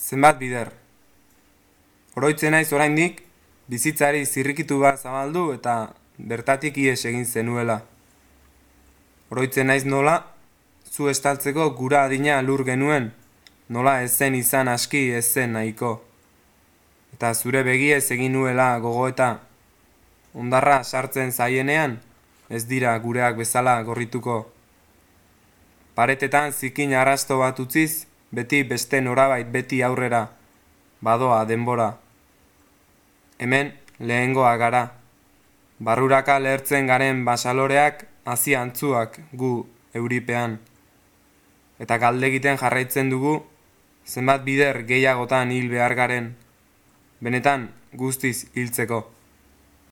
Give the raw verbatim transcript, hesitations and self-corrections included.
zenbat bider. Oroitzen naiz oraindik, bizitzari zirrikitu bat zabaldu eta bertatik ihes egin zenuela. Oroitzen naiz nola, zu estaltzeko gura adina lur genuen, nola ez zen izan aski ez zen nahiko. Eta zure begiez egin nuela gogoeta, ondarra sartzen zaienean, ez dira gureak bezala gorrituko. Paretetan zikin arrasto bat utziz, beti beste norabait beti aurrera, badoa denbora. Hemen lehengoa gara, barruraka lehertzen garen basaloreak hazi antzuak gu euripean. Eta galde egiten jarraitzen dugu, zenbat bider gehiagotan hil behar garen, benetan guztiz hiltzeko.